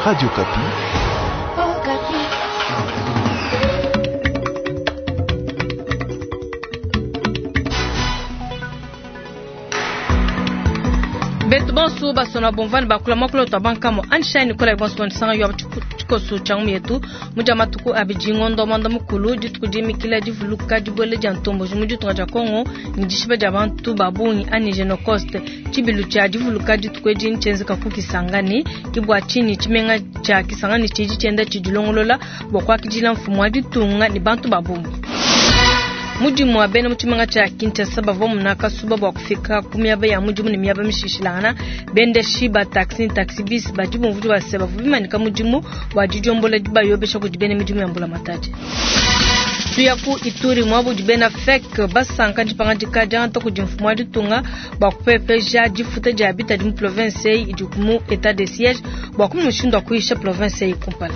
Radio Okapi. Betu bonso basona bomvani bakula mwakula twa bankamo anshai nikola bonso banisanga yo tshikoso tshia ngumu yetu mudia matuku abidi ngondo mwanda mukulu dituku dimikila divuluka dibuela dia ntomboji mu ditunga dia Kongo ne dishiba dia bantu ba bungi anyi Genocost. Tshibilu tshia divuluka dituku edi ntshienzeka ku Kisangani. Ke bua tshinyi tshimenga tshia Kisangani tshidi tshienda tshidilongolola bua kuakidila mfumu wa ditunga ne bantu ba bungi. Mudimu wa bena mu tshimenga tshia Kinshasa bavua muna kasuba bua kufika ku miaba ya mudimu ne miaba mishishilangana. Bendeshi ba taxi ne taxi bis badi bumvua bua se bavua bimanyika mudimu wa didiombola dibayobesha kudi bena midimu ya mbulamatadi. Tuya ku Ituri muaba udi bena FEC basanka dipangadika diangata kudi mfumu wa ditunga bua kupepeja difuta dia bitadi mu province eyi idi mu etat de siège bua kumona mushindu wa kuyisha province eyi kumpala.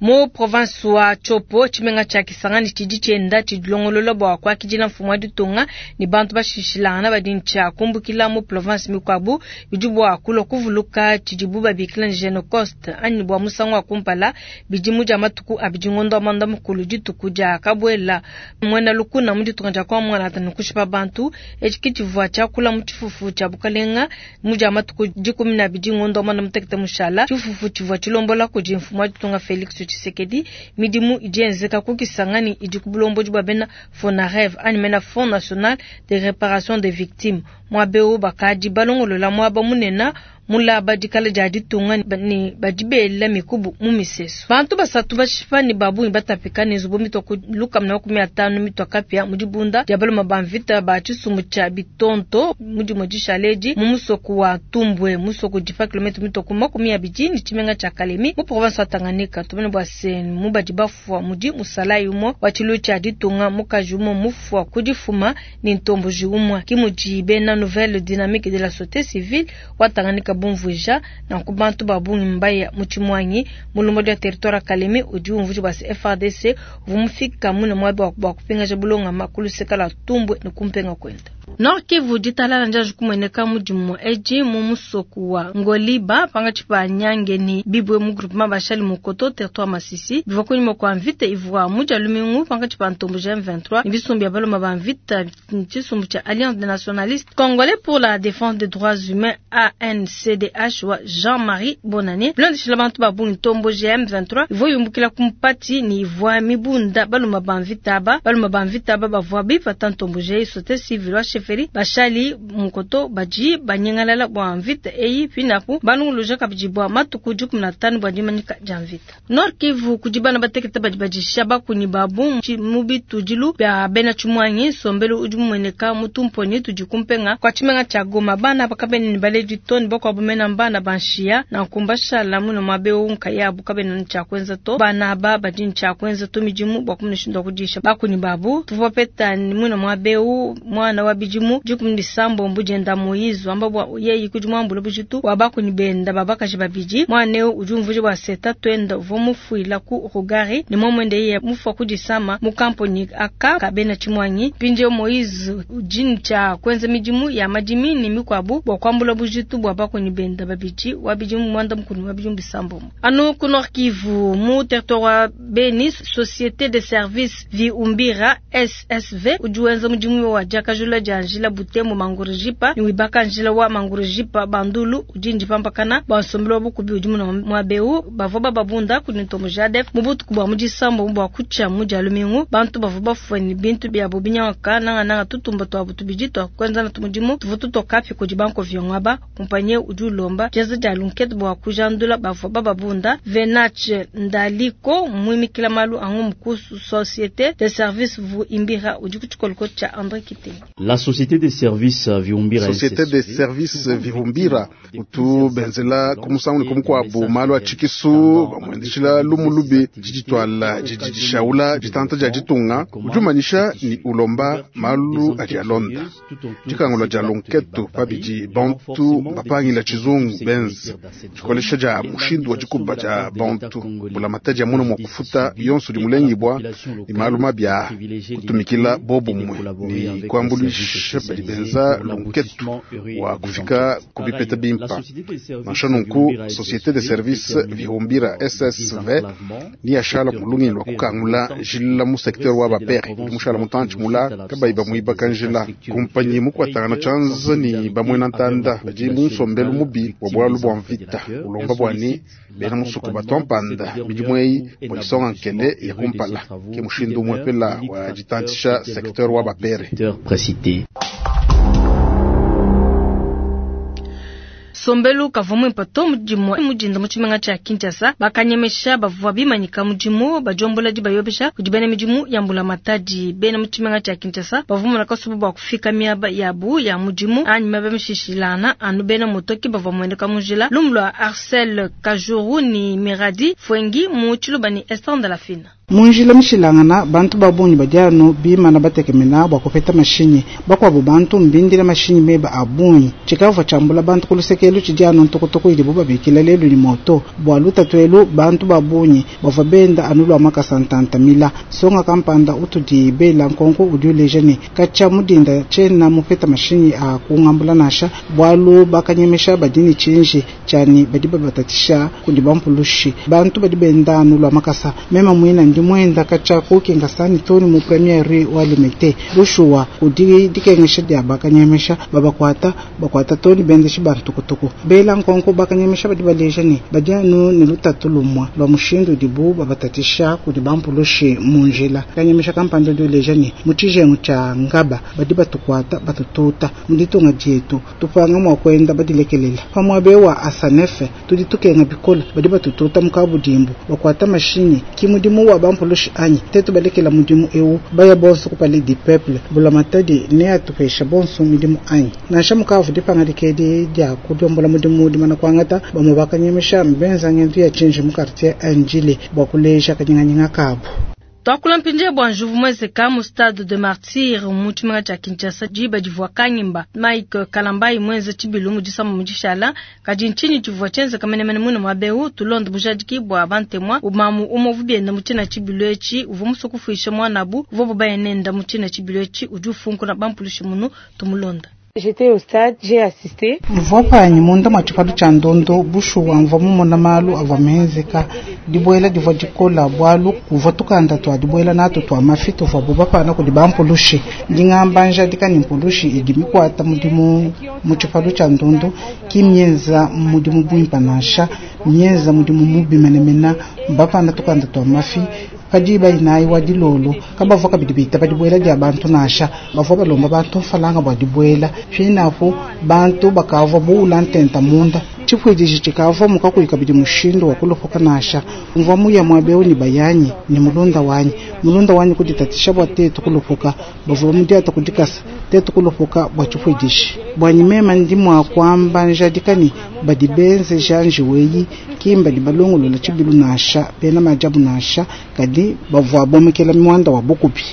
Mu province wa Tshopo, tshimenga tshia Kisangani tshidi tshienda tshidilongolola bua kuakidila mfumu wa ditunga ne bantu bashishilangana badi ntshia kumbukila mu province mikuabu bidi bua kulua kuvuluka tshidibu babikila ne Genocost anyi bua musangu wa kumpala bidimu dia matuku abidi ngondo wa muanda mukulu dituku dia kabuela muena lukuna mu ditunga dia kwa muanata ne kushipa bantu. Etshi ke tshivua tshiakula mu tshifufu tshia bukalenga mu dia matuku 12 ngondo wa muanda mutekete mushala. Tshifufu tshivua tshilombola kudi mfumu wa ditunga Felix Tshisekedi. Midimu idi yenzeka ku Kisangani idi ku bulombodi bua bena FONAREV anyi mena Fonds National de Reparation des Victimes. Muaba eu bakadi balongolola muaba munene mulaba dikala dia ditunga ne badi bela mikubu mu misesu. Bantu basatu bashipa ne ba bungi batapika ne nzubu mitua ku 150 mitua kapia mu dibunda dia baluma ba mvita ba tshisumbu tshia Bitonto mu dimue dishala edi mu musoko wa Tumbwe, musoko udi pa kilomètre mitua ku 20 ne tshimenga tshia Kalemi mu province wa Tanganyika. Tumone bua se mu badi bafua mudi musalayi umue wa tshilu tshia ditunga, mukaji umue mufua ku difuma ne ntomboji umue. Ke mudi bena Nouvelle Dynamique de la Société Civile wa Tanganyika bumvuija. Nanku bantu ba bungi mbaya mu tshimuangi. Mulombodi wa territoire wa Kalemi udi umvuija bua se FARDC uvua mufika mune muaba bua kupingaja bulongama ku luseka lua Tumbwe ne kumpenga kuenda. Nord Kivu ditalala ndianji kumueneka mu dimue edi mu musoku wa Ngoliba pangatshi pa Nyange ne Bibwe mu groupement Bashali Mukoto territoire Masisi. Bivua kunyima kua mvita ivua mu dia lumingu pankatshi pa ntomboji M23 ne bisumbu bia baluma ba mvita tshisumbu tshia Alliance des Nationalistes Congolais pour la Défense des Droits Humains ANCDH wa Jean-Marie Bonane. Bilondeshila bantu ba bungi ntomboji M23 ivua yumbukila ku mpati ne ivua mibunda baluma ba mvita aba. Baluma ba mvita aba bavua bipata ntomboji eyi société civile wa chefferie Bashali Mukoto badi banyengalala bua mvita eyi pinapu banunguluja kabidi bua matuku 15 bua dimanyika dia mvita. Nord Kivu kudi bana batekete badi badisha bakunyi babu mu bitudilu bia bena tshimuangi. Nsombelu udi mumueneka mu tumponyi tudi kumpenga kwa tshimenga tshia Goma. Bana bakabene ne baledi to ne bakuabu mena mbana banshiya nanku mbashala muno muaba eu nkayabu kabena ne tshia kuenza to. Bana aba badi ne tshia kuenza to midimu bua kumona mushindu wa kudisha bakunyi babu. Tuvua bapeta muno muaba eu mwana wa bidimu 17 dienda Moise wamba bua yeyi kudi muambula bujitu wa bakunyi benda babakaji babidi. Mwana eu udi umvuija bua se tatuenda uvua mufuila ku Rugari ne muamuende yeye mufua ku disama mu kamponi aka kabena tshimuangi. Mpindieu Moise udi ne tshia kuenza midimu ya madimi ne mikuabu bua kuambula bujitu bua bakunyi benda babidi wa bidimu 11 wa bidimu 6. Anu ku Nord Kivu mu territoire wa Beni, Société de Services Viumbira SSV udi wenza mudimu wa diakajula dia njila Butembo Mangurejipa ne wibaka njila wa Mangurejipa Bandulu udi ndipampakana bua nsombelu wa bukubi udi muna muaba eu. Bavua bababunda kudi ntombo Jadef mu butuku bua mu disambo bua kutshia mu dia lumingu. Bantu bavua bafue ne bintu biabu binyanguka nangananga tutumba tuabu tubidi tua kuenza natu mudimu tuvua tutoka api kudi banko viongo aba. Kumpanye udi ulomba dienza dia lunkete bua kujandula bavua bababunda. Venache Ndaliko muimikila malu a ngumu ku Société de Services Viumbira udi ku tshikoloko tshia André Kitenge. La Société de Services Viumbira Société de Services Viumbira utu benzela ku musangu ne ku mukuabu malu a tshikisu bamuendeshila lumu lubi diditwala didi dishaula ditanta dia ditunga udi umanyisha ni ulomba malu adi alonda dikangula dia lunketu pabidi bantu bapangila tshizungu benze dikolesha dia mushindu wa dikuba dia bantu bulamata dia muna mua kufuta yonso di mulengibwa ni malu mabia kutumikila bobumwe ni kuambuluisha. bakanyemesha badi benza lunketu wa kufika ku bipeta bimpa. Nansha nunku, Société de Service Vihumbira SSV ni yashala mulungi lwa kukangula njila mu secteur wa bapere udi mushala mutantshi mula kabayi bamuibaka njila. Kumpanyi mukuatangana tshianza ni bamuena ntanda badi mu nsombelu mubi wa bualu bua mvita ulomba bwani bena musuku batua mpanda midimu eyi bua isonga nkele ya kumpala ke mushindu umwepela wa ditantisha secteur wa bapere. Sombelu kavua muimpe to mudimu mudinda mu tshimenga tshia Kinshasa bakanyemesha bavua bimanyika mudimu badiombola dibayobesha kudi bena midimu ya mbulamatadi. Bena mu tshimenga tshia Kinshasa bavua mona kasubu bua kufika miaba yabu ya mudimu anyi miaba mishishilana anu bena motoki bavua muendeka mu njila. Lumu lua Arcel Kajuru ni Miradi Fwengi mu Tshiluba ni Esther Ndalafina. Munjila mishilangana bantu babunyi badiano bimana batekemena bua kupeta mashinyi bakwabo bantu mbindila mashinyi meba abunyi chikavwa chambula bantu kulusekelu chidiano ntokotoko ili bubabikila lelu ni moto bua lutatwelu bantu babunyi bava benda anu lwa makasa ntantamila songa kampanda utudi bela nkonko udi uleja ne kacha mudinda chena mupeta mashinyi a kungambula nasha bwalu bakanyemesha badini chinji chani badi babatatisha kudi bampulushi bantu badi benda anu lwa makasa mema mwina ndi mwenda kacha kukinga sani toni mu premiere wa limete bushuwa kudi dikengesha dia bakanyemesha babakwata bakwata toni bendeshi bantukutuku bela nkonko bakanyemesha badi baleja ne badi anu ne lutatu lumwa lwa mushindu dibu babatatisha kudi bampulushi munjila kanyemesha kampanda di uleja ne mu tshijengu tshia ngaba badi batukwata batututa mu ditunga dietu tupanga mua kwenda badilekelela pamwabe wa asanefe tudi tukenga bikola badi batututa mukabudimbu bakwata mashinyi ki mudimu wa bampulushi anyi tetu balekela mudimu eu baya bonso kupale di peuple bulamatadi ne atupesha bonso midimu anyi nansha mukavu dipanga dikedi dia kudiombola mudimu dimana kwangata bamwe bakanyemesha mbenza ngendu ya chinji mu quartier Anjile bua kuleja kanyinganyinga kabu. Twakula mpinje bua njuvu mwezeka mu stade de Martyr mu tshimenga tshia Kinshasa diba divua kanyimba Mike Kalambayi mwenze tshibilu mu disama mu dishala kadi ntshinyi tshivua tshienzeka menemene muine muaba tulonde bujadiki bua bantemwa umamu umovu bienda mu tshina tshibilu etshi uvua musue kufuisha mwanabu uvua bubaye nenda mu tshina tshibilu etshi udi ufunkuna bampulushi munu tumulonda. J'étais au stade, j'ai assisté. Mvua panyi munda mwa tshipalu tshia ndondo bushuwa mvua mumona malu avua menzeka dibuela divua dikola bwalu kuvua tukanda twa dibuela nato twa mafi tuvua bubapana kudi bampulushi ndingamba njadika ni mpulushi idi mikwata mudimu mu tshipalu tshia ndondo ki mienza mudimu buimpa nansha mienza mudimu mubi menemena mbapana tukanda twa mafi padiba inayi wa dilolo kabavua kabidi bita badibuela dia bantu nasha bavua balomba bantu mfalanga bua dibuela finapo bantu bakavua buula ntenta munda tshipuidiji tshikavua mukakuyi kabidi mushindu wa kulopoka nasha mvua muya muabeu ni bayanyi ni mulunda wanyi kuditatisha bua tetu kulopoka bavua mudiata kudikasa tetu kulopoka bua tshipuidiji bwanyi mema ndi mua kuamba njadika ni badi benze janji weyi kimba di balongolola tshibilu nasha bena majabu nasha kadi bavua bomekela mwanda wa bukubi.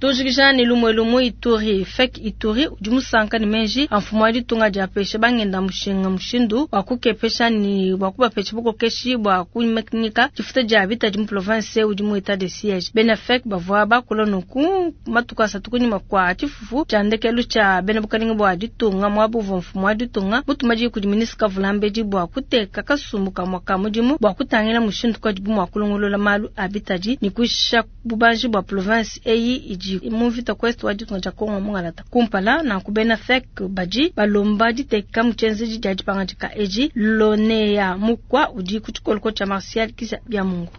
Tujikija ni lumwe lumwe Ituri fek Ituri udi musanka ni menji amfumo wa ditunga dia pesha bangenda mushinga mushindu wa kukepesha ni wa kubapesha bukokeshi bua kumekinika difuta dia bita di mu province udi mu etat de siège bena fek bavua bakula nuku matuka asatu kunyima kwa tshifufu tshia ndekelu tshia bena bukalinga bua ditunga muabu uvua mfumo wa ditunga mutuma kudi ministre Kavulambedi bua kuteka kasumbu kamua ka mudimu bua kutangila mushindu kadibu mua kulongolola malu a bitadi ni kuisha bubanji bua province eyi idi muvita kwest wa ditunga dia Kongo mungalata kumpala na kubena fek badi balomba diteka muchenzeji dia dipanga dika eji lonea mukwa udi kutshikoloko tshia Martial Kisa bya Mungu.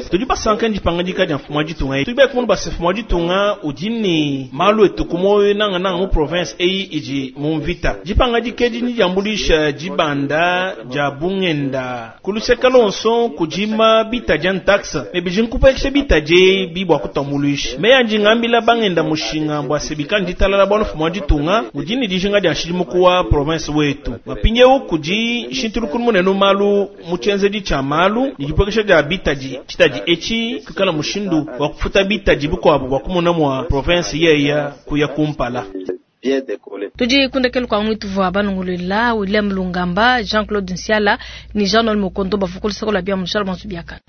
Tudi basanka ndipanga dika dia mfumu wa ditunga tudi bakumona basa mfumu wa ditunga udi ne malu etu kumoyo nanga nanga mu province eyi idi mu mvita dipanga dikedi ni diambulisha dibanda dia bungenda kuluseka lonso kudima bita dia ntaxa ne bidi nkupekesha bita die bibwa kutamuluisha meya ndingambila bangenda mushinga bua sebika nditalala bua mfumu wa ditunga udi ne dijinga dia nshidimuku wa province wetu mapinyewu kudi shintulukulu munene malu mu tshienzedi tshia malu dipekesha dia bitadi tshitadi echi kukala mushindu wa kufuta bitadi bukwabo bwa kumona mwa province yeya kuya kumpala. Tudi kundekelu kwa mwitu vwa banungulila William Lungamba, Jean-Claude Nsiala ni Jean-Noël Mokondo bafukulisa kola bia mushala bantu biakana.